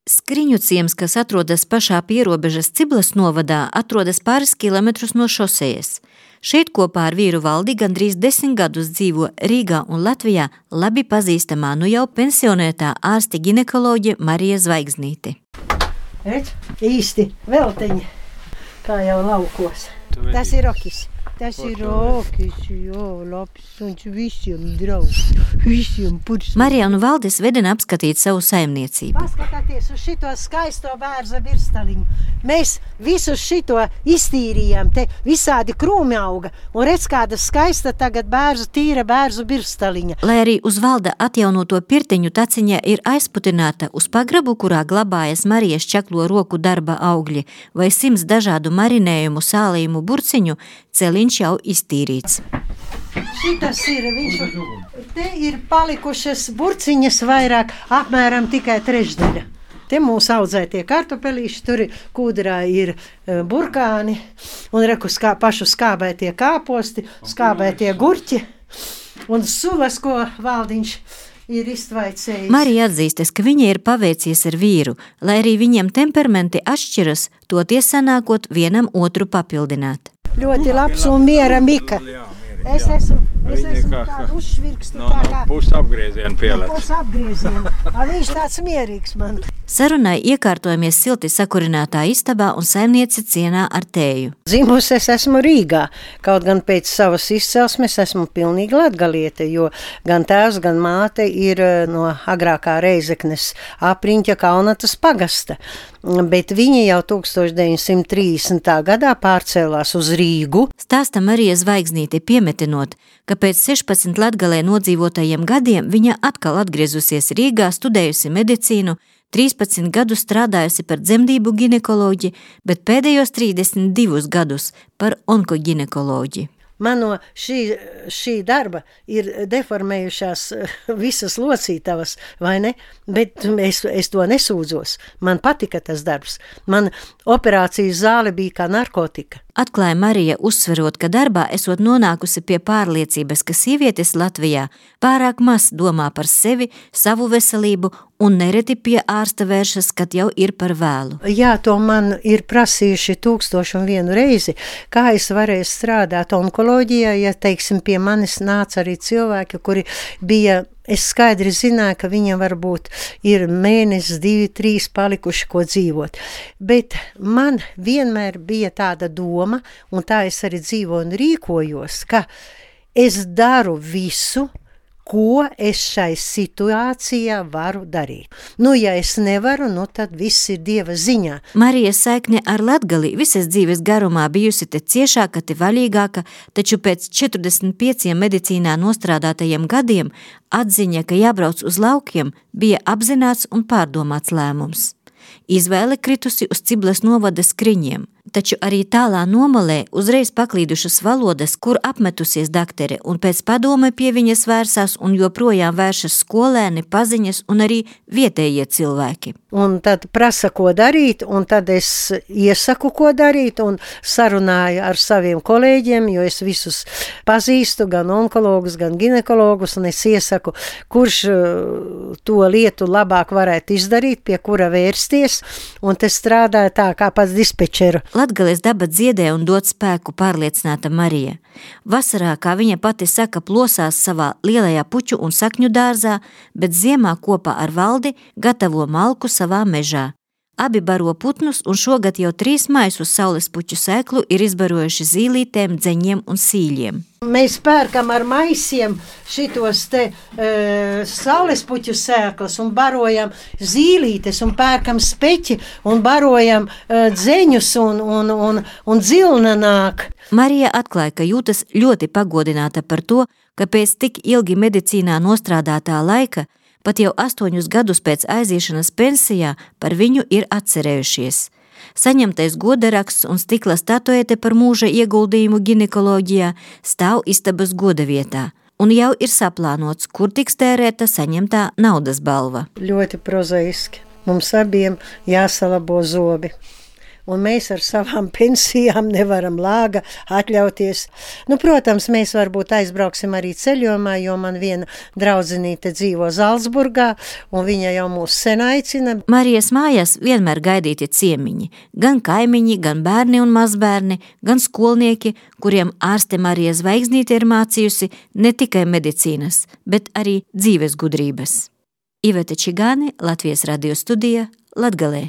Skriņu ciems, kas atrodas pašā pierobežas Ciblas novadā, atrodas pāris kilometrus no šosejas. Šeit kopā ar vīru Valdi gandrīz 10 gadus dzīvo Rīgā un Latvijā labi pazīstamā nu jau pensionētā ārste ginekoloģe Marija Zvaigznīte. Redz, īsti velteņi, kā jau laukos. Tas ir rokis. Tas ir rokis, jo, labs, un visiem draugs, visiem pursiem. Marija un Valdis vedina apskatīt savu saimniecību. Paskatāties uz šito skaisto bērza virstaliņu. Mēs visu šito iztīrījām, te visādi krūmi auga, un redz, kāda skaista tagad tīra bērzu virstaliņa. Lai arī uz Valda atjaunoto pirtiņu taciņa ir aizputināta uz pagrabu, kurā glabājas Marijas čaklo roku darba augļi vai 100 dažādu marinējumu, sālījumu burciņu, celiņš jau iztīrīts. Šitas ir, te ir palikušas burciņas vairāk, apmēram tikai trešdaļa. Te mūs audzētie kartupelīši, tur kūdrā ir burkāni, un reku pašu skābētie kāposti, skābētie gurķi, un sulas, ko Valdiņš ir iztvaicējis. Marija atzīstas, ka viņa ir paveicies ar vīru, lai arī viņiem temperamenti atšķiras, toties sanākot vienam otru papildināt. Ļoti labs un miera Mika. Es esmu tādu uzšvirkstu tā kā... Pusapgriezienu pielēc. Pusapgriezienu. Viņš tāds mierīgs man. Sarunai iekārtojamies silti sakurinātā istabā un saimnieci cienā ar tēju. Dzimusi es esmu Rīgā, kaut gan pēc savas izcelsmes esmu pilnīgi latgaliete, jo gan tēvs, gan māte ir no agrākā Reizeknes apriņķa Kaunatas pagasta. Bet viņi jau 1930. gadā pārcēlās uz Rīgu. Stāsta Marija Zvaigznīte piemetinot, ka pēc 16 Latgalē nodzīvotajiem gadiem viņa atkal atgriezusies Rīgā, studējusi medicīnu, 13 gadus strādājusi par dzemdību ginekoloģi, bet pēdējos 32 gadus par onkoginekoloģi. Man no šī darba ir deformējušās visas locītavas, vai ne? Bet es to nesūdzos. Man patika tas darbs. Man operācijas zāle bija kā narkotika. Atklāja Marija, uzsverot, ka darbā esot nonākusi pie pārliecības, ka sievietes Latvijā pārāk maz domā par sevi, savu veselību un nereti pie ārsta vēršas, kad jau ir par vēlu. Jā, to man ir prasījuši 1001 reizi, kā es varēju strādāt onkoloģijā, ja, teiksim, pie manis nāca arī cilvēki, kuri bija... Es skaidri zināju, ka viņam varbūt ir mēnesis, 2, 3 palikuši, ko dzīvot. Bet man vienmēr bija tāda doma, un tā es arī dzīvoju un rīkojos, ka es daru visu, ko es šai situācijā varu darīt. Nu, ja es nevaru, tad viss ir Dieva ziņā. Marijas saikne ar Latgali visas dzīves garumā bijusi te ciešāka, te vaļīgāka, taču pēc 45 medicīnā nostrādātajiem gadiem atziņa, ka jābrauc uz laukiem, bija apzināts un pārdomāts lēmums. Izvēle kritusi uz Ciblas novada Skriņiem, taču arī tālā nomalē uzreiz paklīdušas valodas, kur apmetusies daktere, un pēc padome pie viņas vērsās un joprojām vēršas skolēni, paziņas un arī vietējie cilvēki. Un tad prasa, ko darīt, un tad es iesaku, ko darīt, un sarunāju ar saviem kolēģiem, jo es visus pazīstu, gan onkologus, gan ginekologus, un es iesaku, kurš to lietu labāk varētu izdarīt, pie kura vērsties, un te strādāja tā kā pats dispečeru. Latgales daba dziedē un dod spēku, pārliecināta Marija. Vasarā, kā viņa pati saka, plosās savā lielajā puķu un sakņu dārzā, bet ziemā kopā ar Valdi gatavo malku savā mežā. Abi baro putnus un šogad jau 3 maisus saules puķu sēklu ir izbarojuši zīlītēm, dzeņiem un sīļiem. Mēs pērkam ar maisiem šitos te saules puķu sēklas un barojam zīlītes un pērkam speķi un barojam dzeņus un dzilna nāk. Marija atklāja, ka jūtas ļoti pagodināta par to, ka pēc tik ilgi medicīnā nostrādātā laika pat jau 8 gadus pēc aiziešanas pensijā par viņu ir atcerējušies. Saņemtais godaraksts un stikla statuete par mūža ieguldījumu ginekoloģijā stāv istabas godavietā, un jau ir saplānots, kur tiks tērēta saņemtā naudas balva. Ļoti prozaiski. Mums abiem jāsalabo zobi. un mēs ar savām pensijām nevaram lāga atļauties. Nu, protams, mēs varbūt aizbrauksim arī ceļojumā, jo man viena draudzenīte dzīvo Zalcburgā, un viņa jau mūs sen aicina. Marijas mājās vienmēr gaidīti ciemiņi, gan kaimiņi, gan bērni un mazbērni, gan skolnieki, kuriem ārste Marija Zvaigznīte ir mācījusi ne tikai medicīnas, bet arī dzīves gudrības. Iveta Čigāne, Latvijas radio studija, Latgalē.